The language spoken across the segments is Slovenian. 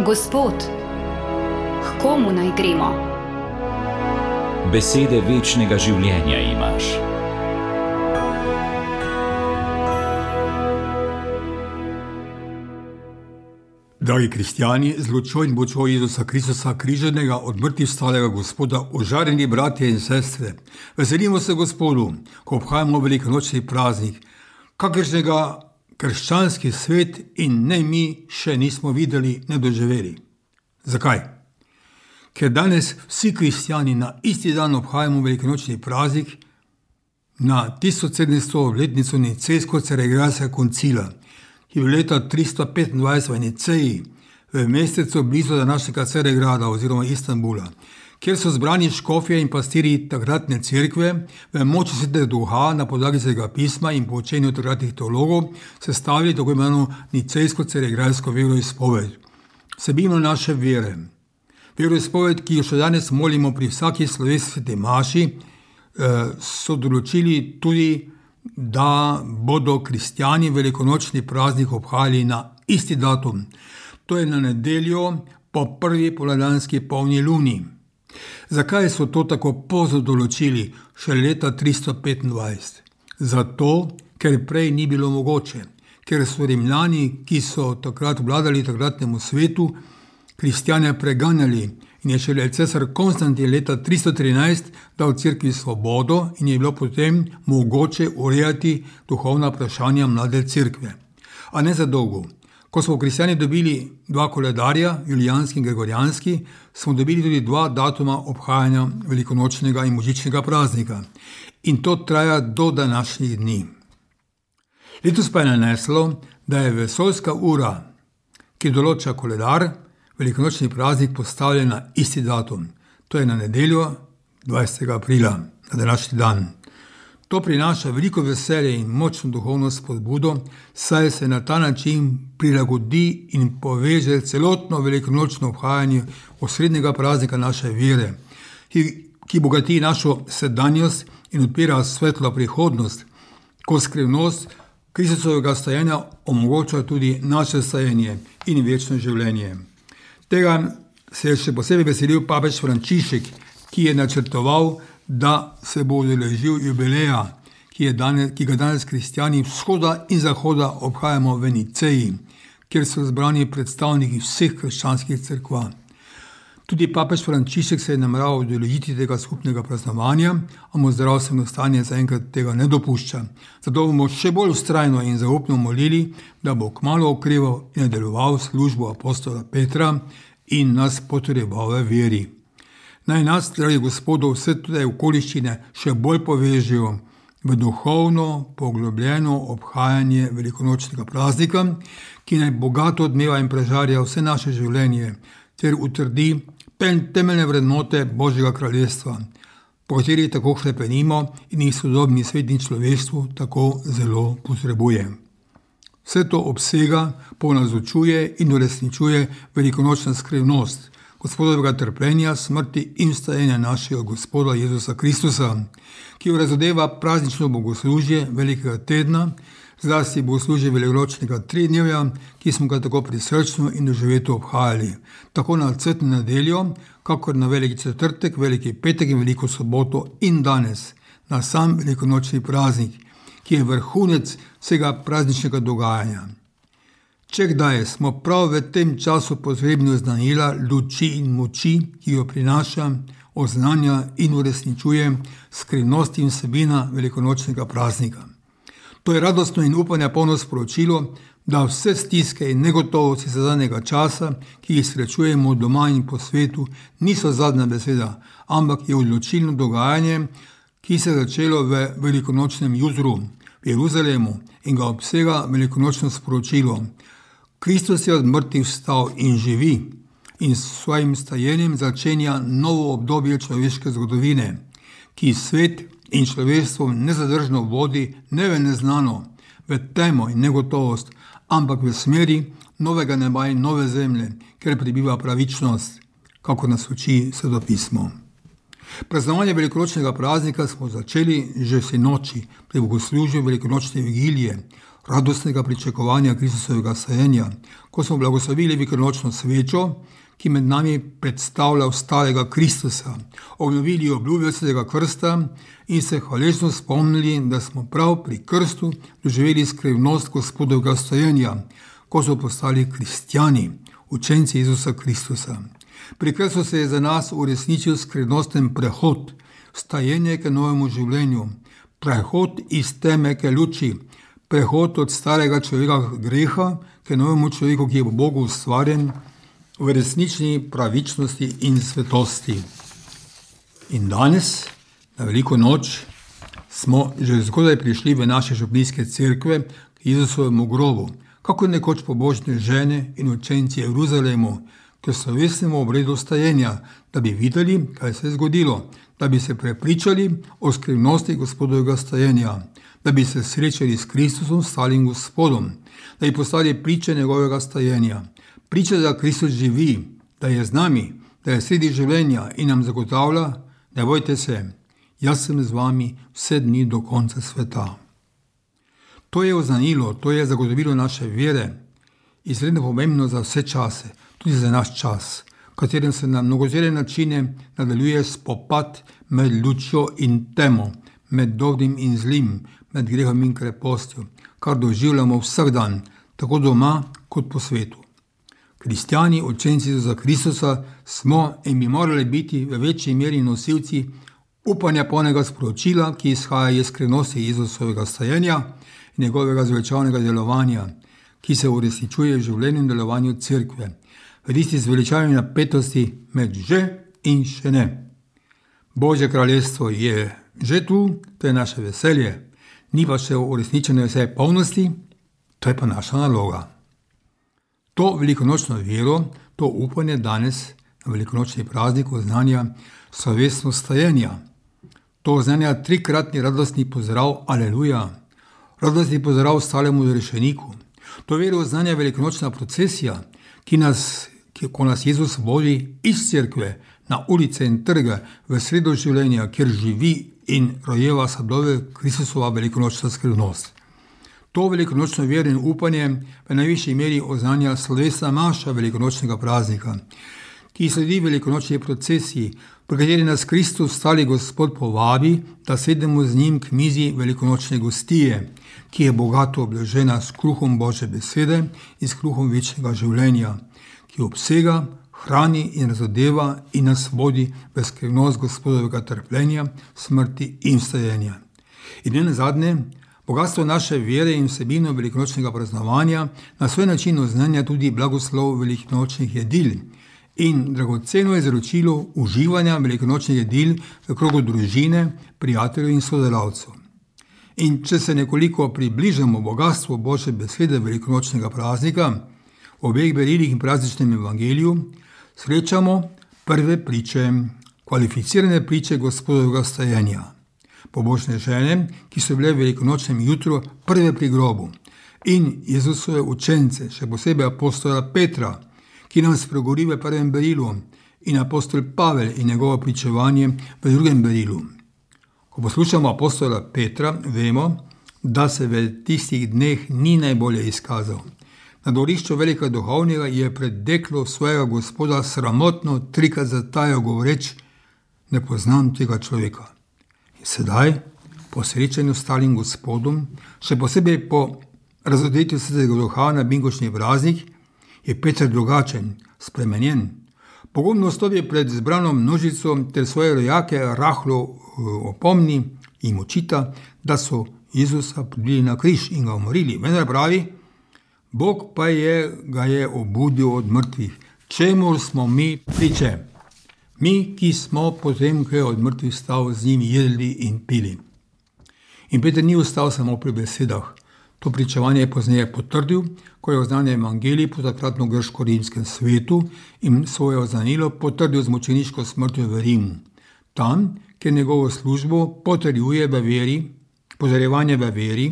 Gospod, k komu naj gremo? Besede večnega življenja imaš. Dragi kristjani, z lučjo in močjo Jezusa Kristusa, križanega, od mrtvih vstalega Gospoda, ožarjeni bratje in sestre, veselimo se Gospodu, ko obhajamo velikonočni praznik, kakršnega krščanski svet in ne mi še nismo videli, ne doživeli. Zakaj? Ker danes vsi kristjani na isti dan obhajamo velikonočni praznik, na 1700. letnico Nicejsko-Carigrajskega koncila, ki je bil leta 325 v Niceji, v mestecu blizu današnjega Carigrada oziroma Istanbula, kjer so zbrani škofje in pastirji takratne cerkve v moči Svetega Duha na podlagi Svetega pisma in po učenju takratnih teologov sestavili tako imenovano Nicejsko-Carigrajsko veroizpoved. Vsebino naše vere. Veroizpoved, ki jo še danes molimo pri vsaki slovesni sveti maši, so določili tudi, da bodo kristjani velikonočni praznik obhajali na isti datum, to je na nedeljo po prvi poldanski polni luni. Zakaj so to tako pozno določili še leta 325? Zato, ker prej ni bilo mogoče, ker so Rimljani, ki so takrat vladali takratnemu svetu, kristjane preganjali in je šele cesar Konstantin leta 313 dal cerkvi svobodo in je bilo potem mogoče urejati duhovna vprašanja mlade cerkve. A ne za dolgo. Ko smo kristjani dobili dva koledarja, julijanski in gregorijanski, smo dobili tudi dva datuma obhajanja velikonočnega in božičnega praznika. In to traja do današnjih dni. Letos pa je naneslo, da je vesoljska ura, ki določa koledar, velikonočni praznik postavljen na isti datum. To je na nedeljo 20. aprila, na današnji dan. To prinaša veliko veselje in močno duhovno spodbudo, saj se na ta način prilagodi in poveže celotno velikonočno obhajanje osrednjega praznika naše vere, ki bogati našo sedanjost in odpira svetlo prihodnost, ko skrivnost Kristusovega stajenja omogoča tudi naše stajenje in večno življenje. Tega se je še posebej veselil papež Frančišek, ki je načrtoval, da se bo udeležil jubileja, ki ga danes kristjani vzhoda in zahoda obhajamo v Niceji, kjer so zbrani predstavniki vseh krščanskih cerkva. Tudi papež Frančišek se je nameraval udeležiti tega skupnega praznovanja, a mu zdravstveno stanje zaenkrat tega ne dopušča. Zato bomo še bolj vztrajno in zaupno molili, da bo kmalu okreval in nadaljeval službo apostola Petra in nas potreboval v veri. Naj nas, dragi Gospodov, vse te okoliščine še bolj povežejo v duhovno, poglobljeno obhajanje velikonočnega praznika, ki naj bogato odmeva in prežarja vse naše življenje, ter utrdi temeljne vrednote Božjega kraljestva, po katerih tako hlepenimo in jih sodobni svet in človeštvo tako zelo potrebuje. Vse to obsega, ponazočuje in uresničuje velikonočna skrivnost Gospodovega trpljenja, smrti in vstajenja našega Gospoda Jezusa Kristusa, ki jo razodeva praznično bogoslužje velikega tedna, zlasti bogoslužje velikonočnega tridnevja, ki smo ga tako prisrčno in doživeto obhajali, tako na cvetno nedeljo, kakor na veliki četrtek, veliki petek in veliko soboto in danes, na sam velikonočni praznik, ki je vrhunec vsega prazničnega dogajanja. Če kdaj smo prav v tem času potrebni oznanila luči in moči, ki jo prinaša, oznanja in uresničuje skrivnost in vsebina velikonočnega praznika. To je radostno in upanja polno sporočilo, da vse stiske in negotovosti zadnjega časa, ki jih srečujemo doma in po svetu, niso zadnja beseda, ampak je odločilno dogajanje, ki se je začelo v velikonočnem jutru v Jeruzalemu in ga obsega velikonočno sporočilo. Kristus je od mrtvih vstal in živi in s svojim stajenjem začenja novo obdobje človeške zgodovine, ki svet in človeštvo nezadržno vodi ne v neznano, v temo in negotovost, ampak v smeri novega neba in nove zemlje, kjer prebiva pravičnost, kako nas uči Sveto pismo. Praznovanje velikonočnega praznika smo začeli že sinoči pri bogoslužju velikonočne vigilije, radostnega pričakovanja Kristusovega sajenja, ko smo blagoslovili velikonočno svečo, ki med nami predstavlja starega Kristusa, obnovili obljube svetega krsta in se hvaležno spomnili, da smo prav pri krstu doživeli skrivnost Gospodovega sajenja, ko so postali kristjani, učenci Jezusa Kristusa. Pri krstu se je za nas uresničil skrivnosten prehod, stajenje k novemu življenju, prehod iz teme k luči, prehod od starega človeka greha k novemu človeku, ki je v Bogu ustvarjen, v resnični pravičnosti in svetosti. In danes, na veliko noč, smo že zgodaj prišli v naše župnijske cerkve k Jezusovemu grobu, kako nekoč pobožne žene in učenci Jeruzalemu, k slovesnemu obredu stajenja, da bi videli, kaj se je zgodilo, da bi se prepričali o skrivnosti Gospodovega stajenja, da bi se srečali s Kristusom, stalim Gospodom, da bi postali priče njegovega stajenja. Priča, da Kristus živi, da je z nami, da je sredi življenja in nam zagotavlja, ne bojte se, jaz sem z vami vse dni do konca sveta. To je oznanilo, to je zagotovilo naše vere, izredno pomembno za vse čase, tudi za naš čas, v katerem se na mnogotere načine nadaljuje spopad med lučjo in temo, med dobrim in zlim, med grehom in krepostjo, kar doživljamo vsak dan, tako doma kot po svetu. Kristjani, učenci Jezusa Kristusa, smo in bi morali biti v večji meri nosilci upanja polnega sporočila, ki izhaja iz skrivnosti Jezusovega stajenja in njegovega zveličavnega delovanja, ki se uresničuje v življenju in delovanju cerkve, v tisti zveličavni napetosti med že in še ne. Božje kraljestvo je že tu, to je naše veselje, ni pa še uresničeno vse polnosti, to je pa naša naloga. To velikonočno vero, to upanje danes na velikonočni praznik oznanja slovesno stajenja. To oznanja trikratni radostni pozdrav Aleluja, radostni pozdrav stalemu zrešeniku. To vero oznanja velikonočna procesija, ko nas Jezus vodi iz cerkve na ulice in trge v sredo življenja, kjer živi in rojeva sadove Kristusova velikonočna skrivnost. To velikonočno vero in upanje v najvišji meri oznanja slovesna maša velikonočnega praznika, ki sledi velikonočni procesiji, pri kateri nas Kristus, stali Gospod, povabi, da sedemo z njim k mizi velikonočne gostije, ki je bogato obložena s kruhom Božje besede in s kruhom večnega življenja, ki obsega, hrani in razodeva in nas vodi v skrivnost Gospodovega trpljenja, smrti in vstajenja. In ne nazadnje, bogatstvo naše vere in vsebino velikonočnega praznovanja na svoj način oznanja tudi blagoslov velikonočnih jedil in dragoceno izročilo uživanja velikonočnih jedil v krogu družine, prijateljev in sodelavcev. In če se nekoliko približamo bogatstvu Božje besede velikonočnega praznika, v obeh berilih in prazničnem evangeliju, srečamo prve priče, kvalificirane priče Gospodovega stajenja. Pobožne žene, ki so bile v velikonočnem jutru prve pri grobu, in Jezusove učence, še posebej apostola Petra, ki nam spregovori v prvem berilu, in apostol Pavel in njegovo pričevanje v drugem berilu. Ko poslušamo apostola Petra, vemo, da se v tistih dneh ni najbolje izkazal. Na dvorišču velikega duhovnega je pred deklo svojega Gospoda sramotno trikrat zatajal govoreč: ne poznam tega človeka. In sedaj, po srečanju s stalim Gospodom, še posebej po razodetju svetega duha na binkočni praznik, je Peter drugačen, spremenjen. Pogumno stopi pred zbrano množico ter svoje rojake rahlo opomni in jim očita, da so Jezusa pribili na križ in ga umorili. Vendar pravi: Bog pa ga je obudil od mrtvih, čemur smo mi priče. Mi, ki smo potem, ko je od mrtvih stal, z njim jedli in pili. In Peter ni ostal samo pri besedah. To pričevanje je pozneje potrdil, ko je oznanil evangelij po takratno grško-rimskem svetu in svoje oznanilo potrdil z mučeniško smrtjo v Rimu. Tam, kjer njegovo službo potrjuje v veri, pozorjevanje v veri,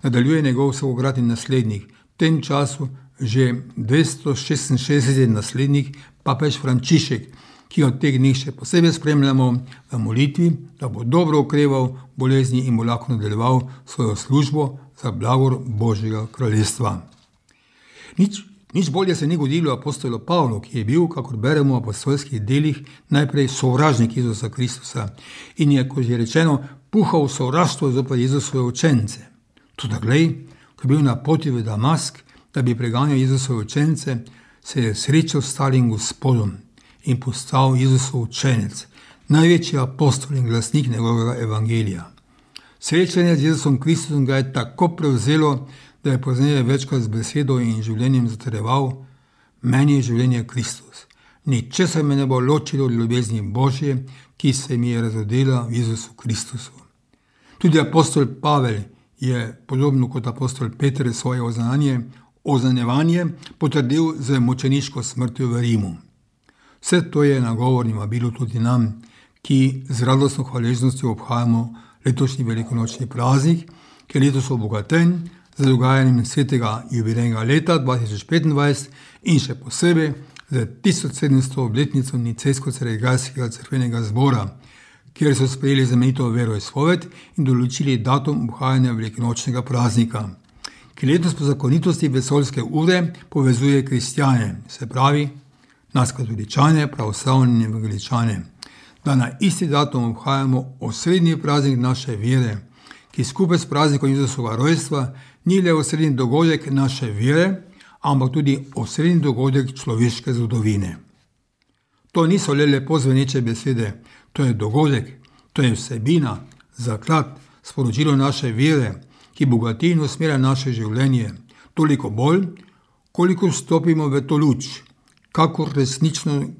nadaljuje njegov vsakokratni naslednik, v tem času že 266 naslednik, papež Frančišek, ki ga v teh dneh še posebej spremljamo v molitvi, da bo dobro okreval bolezni in bo lahko nadaljeval svojo službo za blagor Božjega kraljestva. Nič bolje se ni godilo apostolu Pavlu, ki je bil, kakor beremo v apostolskih delih, najprej sovražnik Jezusa Kristusa in je, kot je rečeno, puhal sovraštvo zoper Jezusove učence. Toda glej, ko je bil na poti v Damask, da bi preganjal Jezusove učence, se je srečal s starim Gospodom in postal Jezusov učenec, največji apostol in glasnik njegovega evangelija. Srečanje z Jezusom Kristusom ga je tako prevzelo, da je pozneje večkrat z besedo in življenjem zatrjeval: meni je življenje Kristus. Ničesar me ne bo ločilo od ljubezni Božje, ki se mi je razodela v Jezusu Kristusu. Tudi apostol Pavel je, podobno kot apostol Peter, svoje oznanjevanje potrdil z mučeniško smrtjo v Rimu. Vse to je nagovor in vabilo tudi nam, ki z radostno hvaležnostjo obhajamo letošnji velikonočni praznik, ki je letos obogaten z dogajanjem svetega jubilejnega leta 2025 in še posebej z 1700. obletnico Nicejsko-carigrajskega cerkvenega zbora, kjer so sprejeli znamenito veroizpoved in določili datum obhajanja velikonočnega praznika, ki letos po zakonitosti vesoljske ure povezuje kristjane, se pravi nas katoličane, pravoslavne in evangeličane, da na isti datum obhajamo osrednji praznik naše vere, ki skupaj s praznikom Jezusovega rojstva ni le osrednji dogodek naše vere, ampak tudi osrednji dogodek človeške zgodovine. To niso le lepo zveneče besede, to je dogodek, to je vsebina, zaklad, sporočilo naše vere, ki bogati in usmerja naše življenje, toliko bolj, koliko vstopimo v to luč,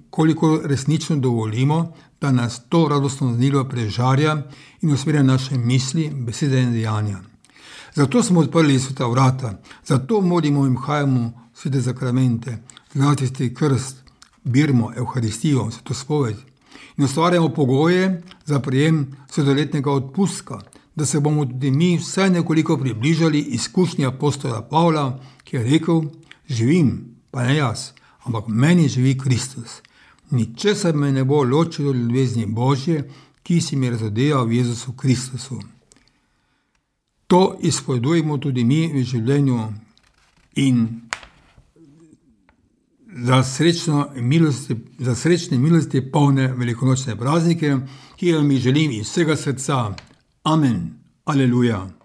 koliko resnično dovolimo, da nas to radostno znilo prežarja in usmerja naše misli, besede in dejanja. Zato smo odprli sveta vrata, zato molimo in vhajamo svete zakramente, zlatisti krst, birmo, evharistijo, svetospoved in ustvarjamo pogoje za prejem svetoletnega odpustka, da se bomo tudi mi vsaj nekoliko približali izkušnji apostola Pavla, ki je rekel: živim, pa ne jaz, ampak meni živi Kristus. Ničesar me ne bo ločilo od ljubezni Božje, ki si mi razodela v Jezusu Kristusu. To izpovedujemo tudi mi v življenju in za srečne milosti polne velikonočne praznike, ki vam jih želim iz vsega srca. Amen. Aleluja.